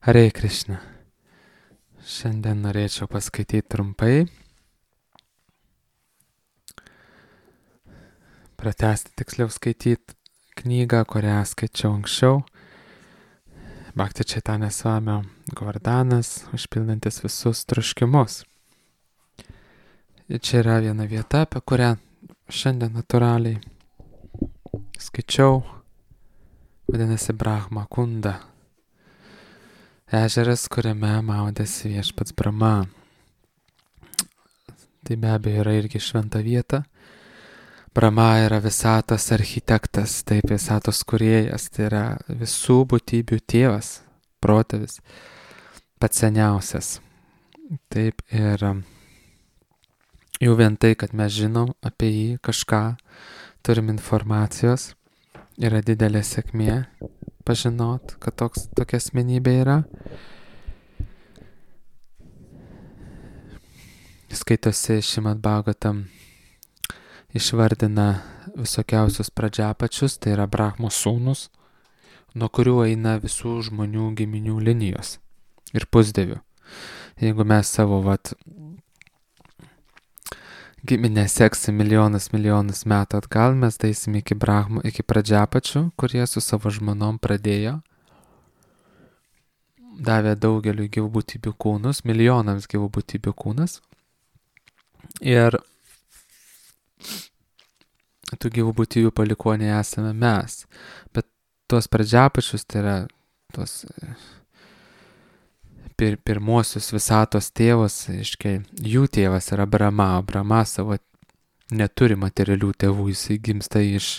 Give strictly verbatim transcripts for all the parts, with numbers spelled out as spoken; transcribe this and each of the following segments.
Hare Krishna. Šiandien norėčiau paskaityti trumpai, pratęsti tiksliau skaityti knygą, kurią skaičiau anksčiau. Bhakti Chaitanya Swamio Govardanas, užpildantis visus troškimus. Ir čia yra viena vieta, apie kurią šiandien natūraliai skaičiau, vadinasi Brahma Kunda. Ežeras, kuriame maudėsi viešpats Brahma. Tai be abejo yra irgi šventa vieta. Brahma yra visatos architektas, taip visatos kūrėjas, tai yra visų būtybių tėvas, protėvis, pats seniausias. Taip ir jau vien tai, kad mes žinom apie jį kažką, turim informacijos, yra didelė sėkmė pažinot, kad toks, tokia asmenybė yra. Skaitosi Šrimad Bhagavatam, išvardina visokiausius pradžiapačius, tai yra Brahmos sūnus, nuo kurių eina visų žmonių giminių linijos ir pusdievių. Jeigu mes savo vat, giminę seksim milijonas milijonas metų atgal, mes daisim iki Brahmo, iki pradžiapačių, kurie su savo žmonom pradėjo, davė daugeliu gyvų būtybių kūnus, milijonams gyvų būtybių kūnas. Ir tų gyvų būtybių palikuoniai esame mes. Bet tuos pradžiapačius, tai yra tuos pir, pirmuosius visatos tėvus, iškai, jų tėvas yra Brahma, o Brahma savo neturi materialių tėvų, jisai gimsta iš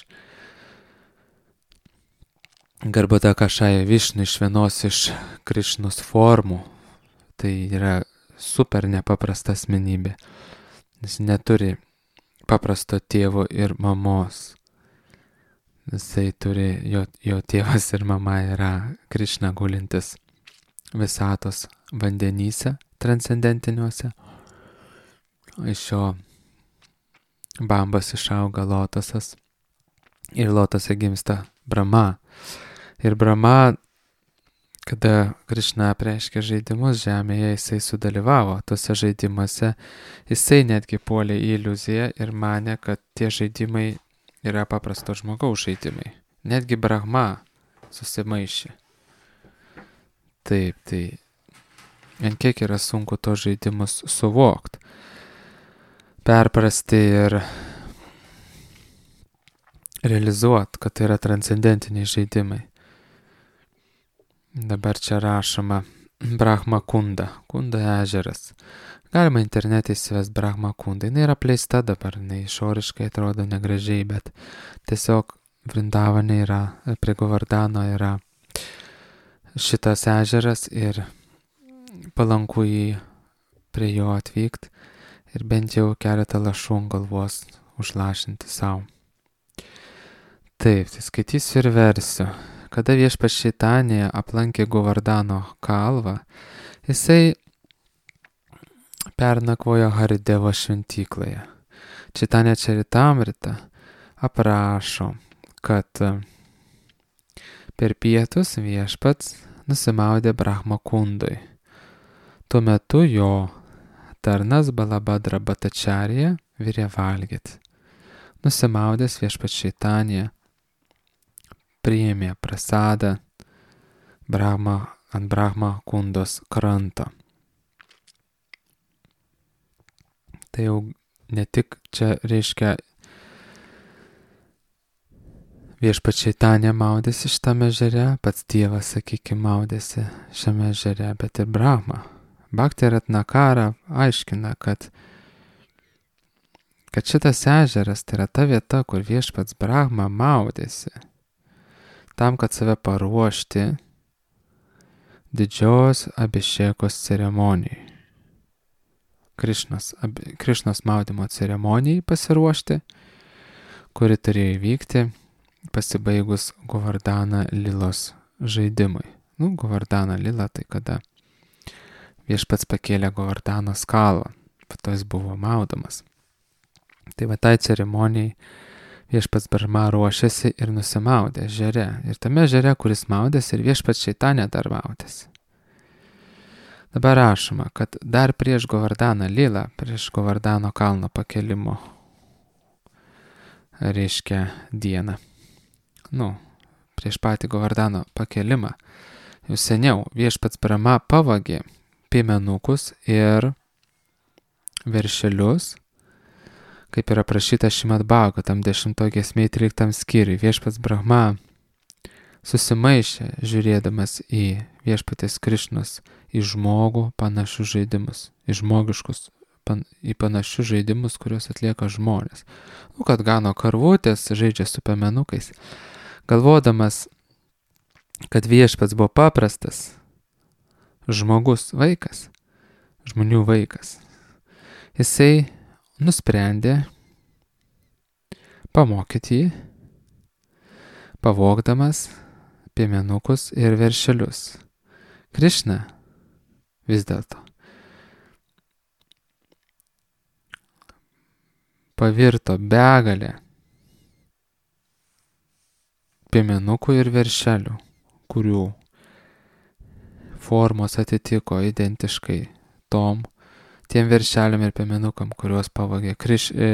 Garbhata Kašaja Višnu, iš vienos iš Krišnos formų. Tai yra super nepaprasta asmenybė. Jis neturi paprasto tėvo ir mamos. Jisai turi, jo, jo tėvas ir mama yra Krišna gulintis visatos vandenyse transcendentiniuose. Iš jo bambos išauga lotosas ir lotose gimsta Brahma. Ir Brahma, kada Krišna apreiškė žaidimus žemėje, jisai sudalyvavo tuose žaidimuose, jisai netgi puolė į iliuziją ir manė, kad tie žaidimai yra paprasto žmogaus žaidimai. Netgi Brahma susimaišė. Taip, tai ant kiek yra sunku tos žaidimus suvokti, perprasti ir realizuoti, kad tai yra transcendentiniai žaidimai. Dabar čia rašoma Brahma Kunda, Kunda ežeras. Galima internete įsivest Brahma Kunda. Jis yra apleista dabar, jis išoriškai atrodo negražiai, bet tiesiog Vrindavane yra, prie Govardano yra šitas ežeras ir palanku jį prie jo atvykti ir bent jau keletą lašų ant galvos užlašinti savo. Taip, tai skaitysiu ir versiu. Kada viešpats Čaitanija aplankė Govardano kalvą, jisai pernakvojo Haridevo šventykloje. Čaitanija Čaritamrita aprašo, kad per pietus viešpats nusimaudė Brahma Kundui. Tuo metu jo tarnas Balabhadra Bhattacharya virė valgyti. Nusimaudęs viešpats Čaitanija priėmė prasadą Brahma, ant Brahma Kundos kranto. Tai jau ne tik čia reiškia viešpats Čaitanija maudėsi šitame ežere, pats Dievas, sakykime, maudėsi šiame ežere, bet ir Brahma. Bhakti Ratnakara aiškina, kad, kad šitas ežeras tai yra ta vieta, kur viešpats Brahma maudėsi, tam, kad save paruošti didžios abišekos ceremonijai. Krišnos, ab, Krišnos maudymo ceremonijai pasiruošti, kuri turėjo įvykti pasibaigus Govardana Lilos žaidimui. Nu, Govardana Lila tai kada viešpats pakėlė Govardanos kalvą, po to jis buvo maudomas. Tai va tai ceremonijai viešpats Brahma ruošėsi ir nusimaudė ežere. Ir tame ežere, kuris maudėsi, ir viešpats Čaitanija dar maudėsi. Dabar rašoma, kad dar prieš Govardaną lylą, prieš Govardano kalno pakelimo, reiškia dieną, nu, prieš patį Govardano pakelimą, jau seniau viešpats Brahma pavogė piemenukus ir veršelius, kaip yra prašyta Šrimad Bhagavatam dešimtoj giesmėj tryliktam skyriui. Viešpats Brahma susimaišė, žiūrėdamas į viešpatės Krišnos, į žmogų panašius žaidimus, į žmogiškus, pan, į panašius žaidimus, kuriuos atlieka žmonės. Nu, kad gano karvutės, žaidžia su piemenukais. Galvodamas, kad viešpats buvo paprastas žmogus, vaikas, žmonių vaikas, jisai nusprendė pamokyti jį, pavogdamas piemenukus ir veršelius. Krišna vis dėlto pavirto begalę piemenukų ir veršelių, kurių formos atitiko identiškai tom, tiem veršeliam ir piemenukam, kuriuos pavogė Kriš, e,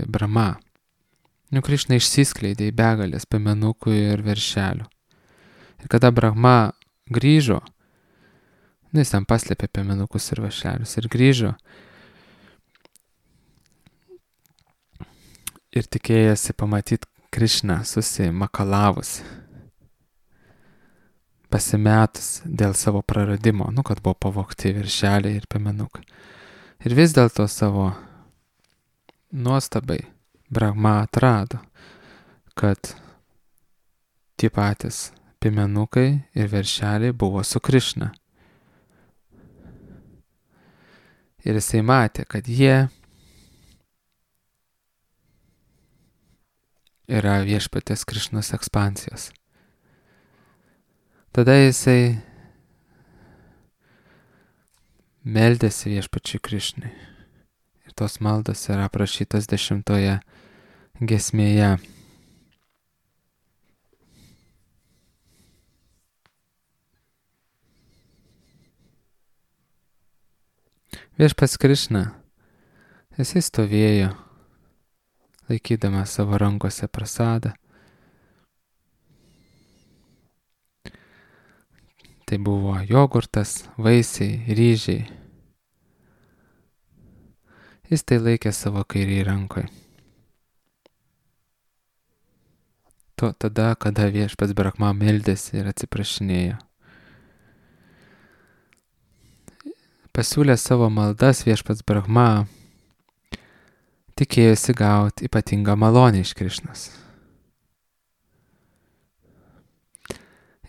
Brahma. Nu, Krišna išsiskleidė į begalės piemenukų ir veršelių. Ir kada Brahma grįžo, nu, jis ten paslėpė piemenukus ir veršelius ir grįžo ir tikėjasi pamatyti Krišną susimakalavus, pasimetus dėl savo praradimo, nu, kad buvo pavogti veršeliai ir piemenukai. Ir vis dėlto savo nuostabai Brahma atrado, kad tie patys piemenukai ir veršeliai buvo su Krišna. Ir jisai matė, kad jie yra viešpatės Krišnos ekspansijos. Tada jisai meldėsi viešpačiui Krišnai. Ir tos maldos yra aprašytos dešimtoje giesmėje. Viešpats Krišna, jisai stovėjo, laikydamas savo rankose prasadą. Tai buvo jogurtas, vaisiai, ryžiai. Jis tai laikė savo kairį rankoje. To tada, kada viešpats Brahma meldėsi ir atsiprašinėjo. Pasiūlė savo maldas viešpats Brahma, tikėjosi gauti ypatingą malonę iš Krišnos.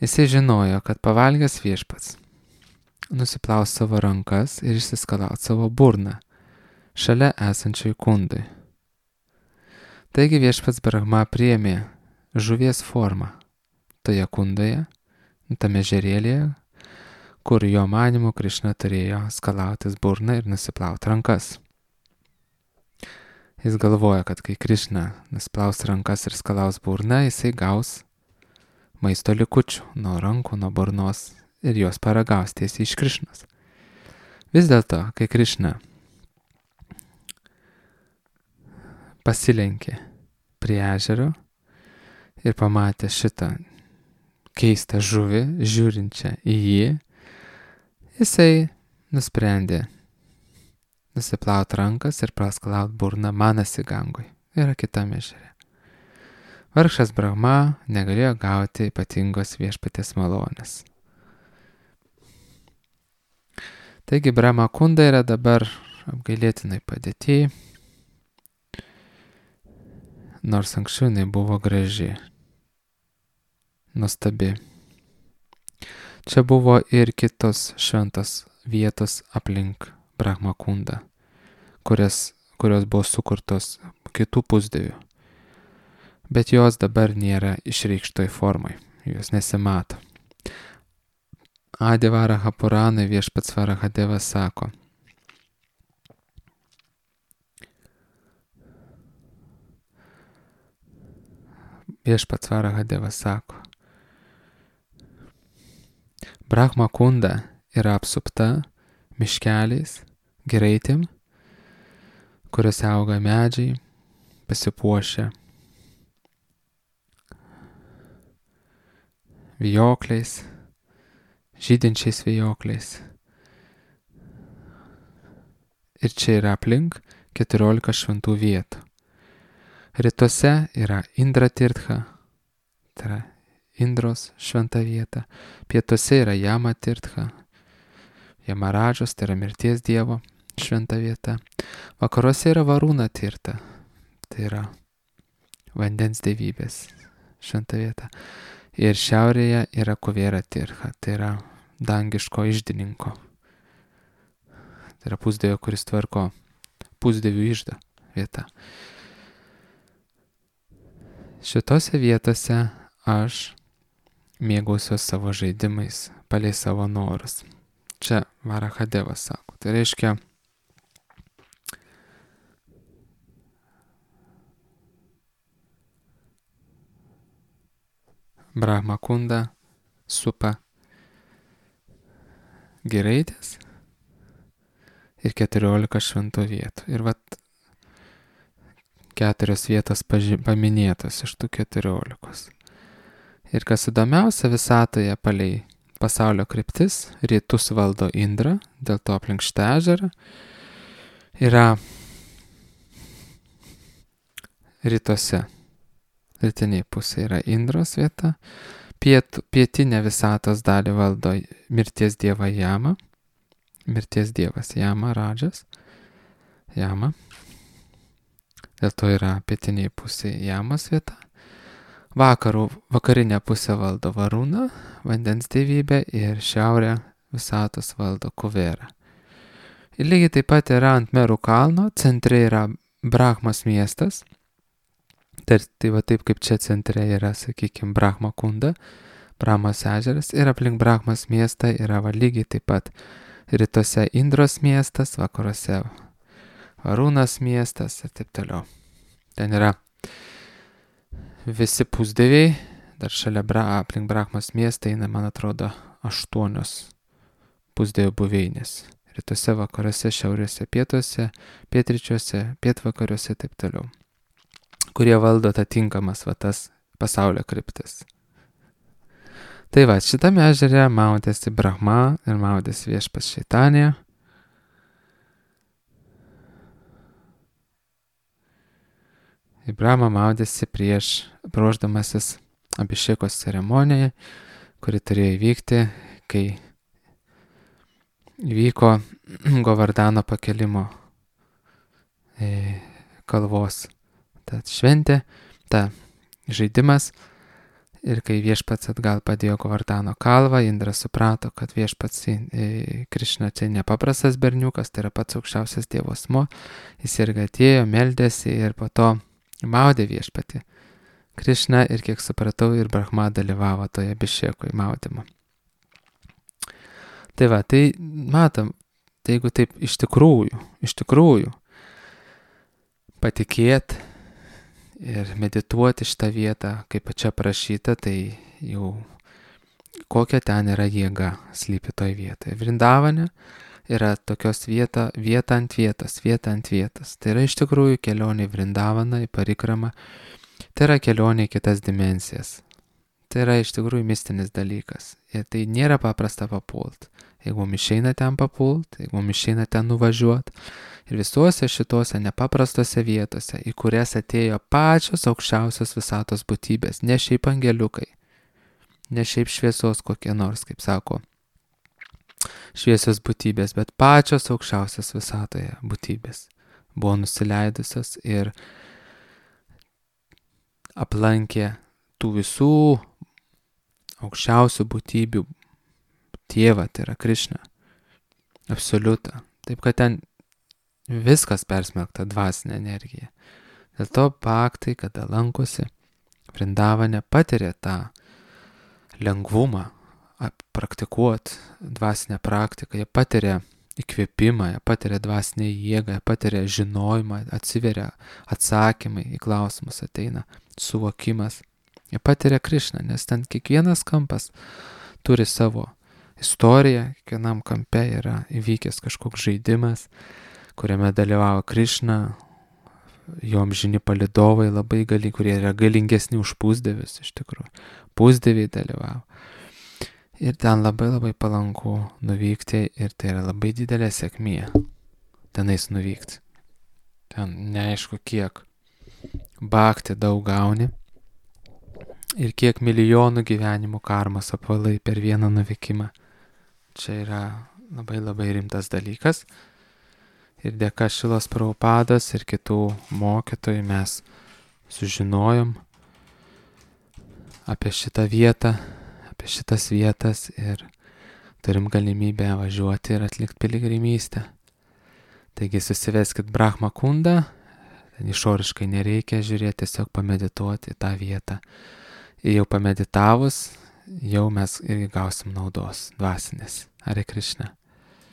Jisai žinojo, kad pavalgęs viešpats nusiplaus savo rankas ir išsiskalaut savo burną šalia esančiai kundai. Taigi viešpats Brahma priėmė žuvies formą toje kundoje, tame žerėlėje, kur jo manymu Krišna turėjo skalautis burną ir nusiplauti rankas. Jis galvoja, kad kai Krišna nusplaus rankas ir skalaus burną, jisai gaus maisto likučių nuo rankų, nuo burnos ir jos paragaus tiesiai iš Krišnos. Vis dėlto, kai Krišna pasilenkė prie ežero ir pamatė šitą keistą žuvį, žiūrinčią į jį, jisai nusprendė nusiplaut rankas ir praskalaut burną Manasi Gangoj, yra kitame ežere. Vargšas Brahma negalėjo gauti ypatingos viešpatės malonės. Taigi Brahma kunda yra dabar apgailėtinai padėty, nors anksčiau jinai buvo graži, nuostabi. Čia buvo ir kitos šventos vietos aplink Brahma kundą, kurias, kurios buvo sukurtos kitų pusdievių. Bet jos dabar nėra išreikštoj formai, jos nesimato. Adi Varaha Puranai viešpats Varahadevas sako: Viešpats Varahadevas sako, Brahma kunda yra apsupta miškeliais, giraitėm, kuriuose auga medžiai, pasipuošę vijokliais, žydinčiais vijokliais. Ir čia yra aplink keturiolika šventų vietų. Rytuose yra Indra Tirtha, tai yra Indros šventa vieta. Pietuose yra Jama Tirtha, Jamaradžos, tai yra mirties dievo šventa vieta. Vakaruose yra Varuna Tirtha, tai yra vandens dievybės šventa vieta. Ir šiaurėje yra Kuvera Tirtha, tai yra dangiško iždininko. Tai yra pusdievio, kuris tvarko pusdievių iždą vieta. Šitose vietose aš mėgausiuos savo žaidimais, palei savo norus. Čia Varahadevas sako. Tai reiškia, Brahma Kunda supa giraitės ir keturiolika šventų vietų. Ir vat keturios vietos paži- paminėtos iš tų keturiolikos. Ir kas įdomiausia, visatoje palei pasaulio kryptis, rytus valdo Indra, dėl to aplink šitą ežerą yra rytuose. Rytiniai pusė yra Indros vieta, Piet, pietinę visatos dalį valdo mirties dieva Jama, mirties dievas Jama Radžas, Jama, dėl to yra pietiniai pusė Jamos vieta. Vakarų, vakarinę pusę valdo Varuna, vandens dievybė, ir šiaurę visatos valdo Kuvera. Ir lygiai taip pat yra ant Merų kalno, centre yra Brahmas miestas. Tai, tai va taip kaip čia centre yra, sakykime, Brahma Kunda, Brahmas ežeras, ir aplink Brahmas miestą yra va lygiai taip pat rytuose Indros miestas, vakaruose Varunas miestas ir taip toliau. Ten yra visi pusdieviai, dar šalia bra, aplink Brahmas miestą eina, man atrodo, aštuonios pusdievių buveinės. Rytuose, vakaruose, šiaurėse, pietuose, pietryčiuose, pietvakariuose ir taip toliau, kurie valdo atitinkamas va tas pasaulio kryptis. Tai va, šitame ežere maudėsi Brahma ir maudėsi viešpats Šeitanija. Ir Brahma maudėsi prieš ruošdamasis Abhišekos ceremonijai, kuri turėjo įvykti, kai įvyko Govardhano pakelimo kalvos. Ta šventė, ta žaidimas, ir kai viešpats atgal padėjo Govardhano kalvą, Indra suprato, kad viešpats Krišna čia nepaprastas berniukas, tai yra pats aukščiausias Dievo asmuo. Jis irgi atėjo, meldėsi ir po to maudė viešpatį Krišna, ir kiek supratau, ir Brahma dalyvavo toje Abhišekoj maudymo. Tai va, tai matom, tai jeigu taip iš tikrųjų, iš tikrųjų patikėt ir medituoti šitą vietą, kaip čia prašyta, tai jau kokia ten yra jėga slypi toj vietoje. Vrindavane yra tokios vieta, vieta ant vietos, vieta ant vietos. Tai yra iš tikrųjų kelionė į Vrindavaną, į Parikramą. Tai yra kelionė į kitas dimensijas. Tai yra iš tikrųjų mistinis dalykas. Ir tai nėra paprasta papult. Jeigu mums išeina ten papult, jeigu mums išeina ten nuvažiuoti. Ir visuose šituose nepaprastose vietose, į kurias atėjo pačios aukščiausios visatos būtybės, ne šiaip angeliukai, ne šiaip šviesos kokie nors, kaip sako, šviesios būtybės, bet pačios aukščiausios visatoje būtybės buvo nusileidusios ir aplankė tų visų aukščiausių būtybių tėvą, tai yra Krišną, absoliutą. Taip, kad ten viskas persmelkta dvasinė energija. Dėl to bhaktai, kada lankosi Vrindavane, patiria tą lengvumą praktikuoti dvasinę praktiką. Jie patiria įkvėpimą, jie patiria dvasinę jėgą, jie patiria žinojimą, atsiveria atsakymai į klausimus, ateina suvokimas. Jie patiria Krišną, nes ten kiekvienas kampas turi savo istorija, kiekvienam kampe yra įvykęs kažkoks žaidimas, kuriame dalyvavo Krišna, jo amžini palydovai labai gali, kurie yra galingesni už pusdievius iš tikrųjų. Pusdieviai dalyvavo. Ir ten labai labai palanku nuvykti ir tai yra labai didelė sėkmė tenais nuvykti. Ten neaišku kiek bhakti daug gauni ir kiek milijonų gyvenimų karmos apvalai per vieną nuvykimą. Čia yra labai labai rimtas dalykas. Ir dėka Šilos Prabhupados ir kitų mokytojų mes sužinojom apie šitą vietą, apie šitas vietas ir turim galimybę važiuoti ir atlikti piligrimystę. Taigi susiveskit Brahma kundą, ten išoriškai nereikia žiūrėti, tiesiog pamedituoti tą vietą. Ir jau pameditavus, jau mes irgi gausim naudos dvasinės. Hare Krishna.